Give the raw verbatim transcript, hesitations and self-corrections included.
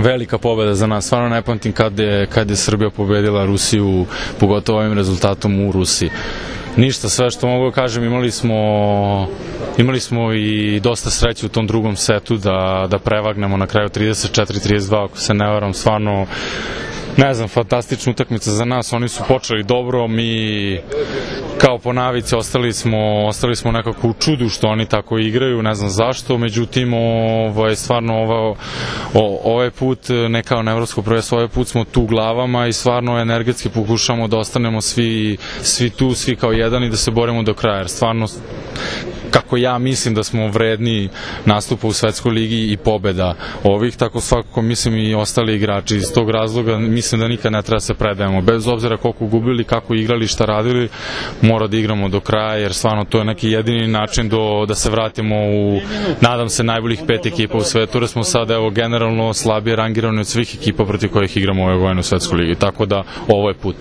velika pobeda za nas, stvarno ne pamtim kad je, kad je Srbija pobedila Rusiju, pogotovo ovim rezultatom u Rusiji. Ništa, sve što mogu da kažem, imali smo, imali smo i dosta sreće u tom drugom setu da, da prevagnemo na kraju trideset četiri trideset dva, ako se ne varam, stvarno, ne znam, fantastična utakmica za nas, oni su počeli dobro, mi kao po navici ostali smo, ostali smo nekako u čudu što oni tako igraju, ne znam zašto, međutim, ovaj, stvarno ovo, o, ovaj put, ne kao na evropsko prvenstvo, ovaj put smo tu glavama i stvarno energetski pokušamo da ostanemo svi, svi tu, svi kao jedan i da se borimo do kraja, jer stvarno, kako ja mislim da smo vredni nastupa u Svetskoj ligi i pobeda ovih, tako svakako mislim i ostali igrači. Iz tog razloga mislim da nikad ne treba se predajemo. Bez obzira koliko gubili, kako igrali, šta radili, mora da igramo do kraja, jer stvarno to je neki jedini način do, da se vratimo u, nadam se, najboljih pet ekipa u svetu, jer smo sada evo generalno slabije rangirani od svih ekipa protiv kojih igramo ove godine u Svetskoj ligi. Tako da ovo je put.